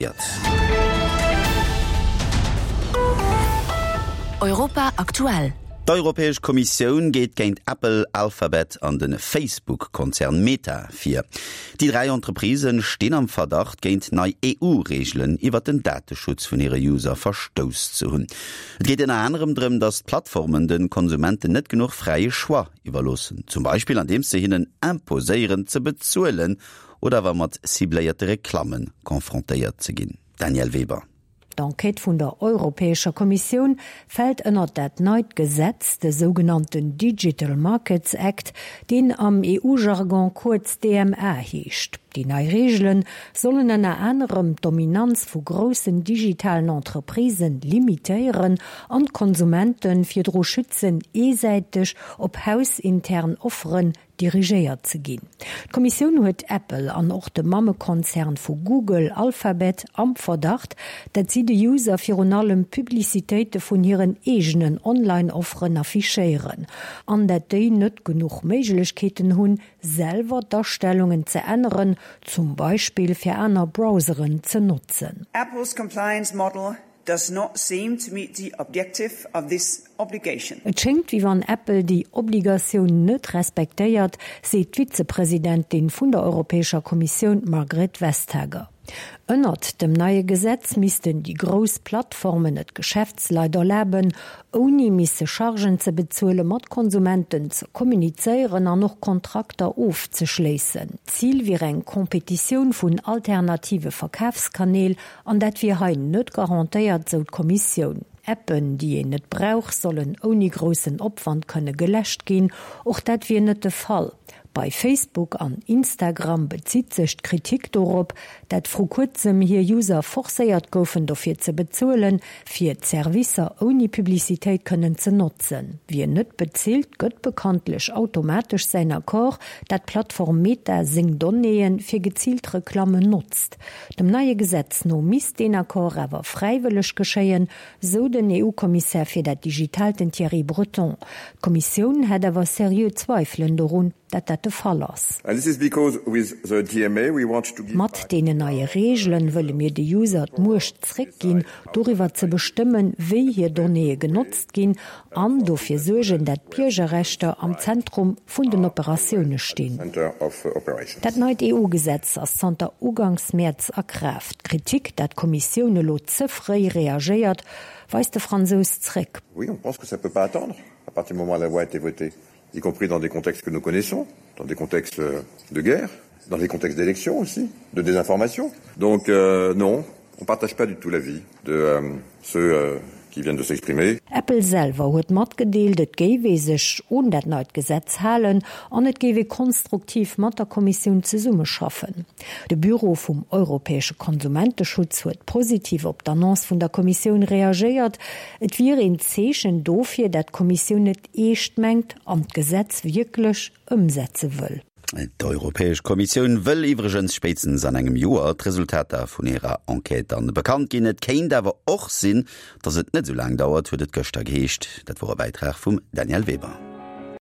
Reagéiert. Europa aktuell. D'Europäesch Kommissioun geet géint Apple, Alphabet an de Facebook-Konzern Meta vir. Déi 3 Entreprisë stinn am Verdacht, géint nei EU-Reegelen iwwer den Dateschutz vun hire User verstouss ze hunn. Et geet ënner anerem drëm, datt d'Plattformen de Konsumenten net genuch fräie Choix iwwerloossen, zum Beispill andeems se hinnen imposéieren ze bezuelen oder awer mat cibléierte Reklamme confrontéiert ze ginn. Danièle Weber. D'Enquête vun der Europäescher Kommissioun fält ënnert dat neit Gesetz, de sougenannten Digital Markets Act, deen am EU-Jargon kuerz DMA heescht. Déi nei Reegele sollen ënner anerem d'Dominanz vu groussen digitalen Entreprisen limitéieren an d'Konsumente virdru schützen, eesäiteg op hausintern Offeren dirigéiert ze ginn. D'Kommissioun huet Apple an och de Mammekonzern vu Google, Alphabet, am Verdacht, dat si de User virun allem Publicitéite vun hiren eegenen Online-Offeren affichéieren an dat déi net genuch Méiglechkeeten hunn, selwer d'Astellungen ze änneren, zum Beispill fir aner Browseren ze notzen. Apple's compliance model does not seem to meet the objective of this obligation. Et schéngt, wéi wann Apple déi Obligatioun net respektéiert, seet d'Vizepresidentin vun der Europäescher Kommissioun Margrethe Vestager. Ënnert dem neie Gesetz missten déi grouss Plattformen et Geschäftsleit erlaben, ouni misse Chargen ze bezuelen, mat Konsumenten ze kommunizéieren an och Kontrakter ofzeschléissen. Zil wier eng Kompetitioun vun alternative Verkafskanäl An dat wier hei net garantéiert, sou d'Kommissioun. Appen, déi een net brauch, sollen ouni groussen Opwand kënne geläscht ginn. Och dat wier net de Fall. Bei Facebook an Instagram bezitt sech d'Kritik dorop, dat vru kuerzem hir User forcéiert goufen dofir ze bezuelen, fir d'Servicer ouni Publicitéit kënnen ze notzen. Wien net bezilt, gëtt bekanntlech automatesch säin Accord, dat d'Plattform Meta seng Donnéeë fir geziilt Reklammen notzt. Dem neie Gesetz no misst deen Accord awer fräiwëlleg geschéien, sou den EU-Kommissär fir dat Digitaalt, den Thierry Breton. D'Kommissioun hätt awer seriö Zweifelen dorun, dat dat de Fall ass. Mat deenen neie Reegelen wëlle mir de User d'Muecht zréckginn, doriwwer ze bestëmmen, wéi hir Donnéeë genotzt ginn an dofir suergen, dat d'Biergerrechter am Zentrum vun den Operatioune stinn. Dat neit EU-Gesetz ass zanter uganks Mäerz a Kraaft. D'Kritik, dat d'Kommissioun elo ze fréi reagéiert, weist de Fransous zréck. Oui, on pense que ça peut pas attendre, à partir du moment où la loi a été votée, y compris dans des contextes que nous connaissons, dans des contextes de guerre, dans des contextes d'élections aussi, de désinformation. Donc euh, non, on partage pas du tout l'avis de euh, ceux euh, qui viennent de s'exprimer. Apple selwer huet matgedeelt, et géif ee sech un dat neit Gesetz halen an et géif ee konstruktiv mat der Kommissioun zesummeschaffen. De Büro vum europäesche Konsumenteschutz huet positiv op d'Annonce vun der Kommissioun reagéiert. Et wier een Zeechen dofir, dat d'Kommissioun et eescht mengt an d'Gesetz wierklech ëmsetze wëll. D'Europäesch Kommissioun wëll iwwregens spéitstens an engem Joer d'Resultater vun hirer Enquête dann bekannt ginn. Et kéint awer och sinn, datt et net esou laang dauert, huet et gëschter geheescht. Dat wor e Bäitrag vum Danièle Weber.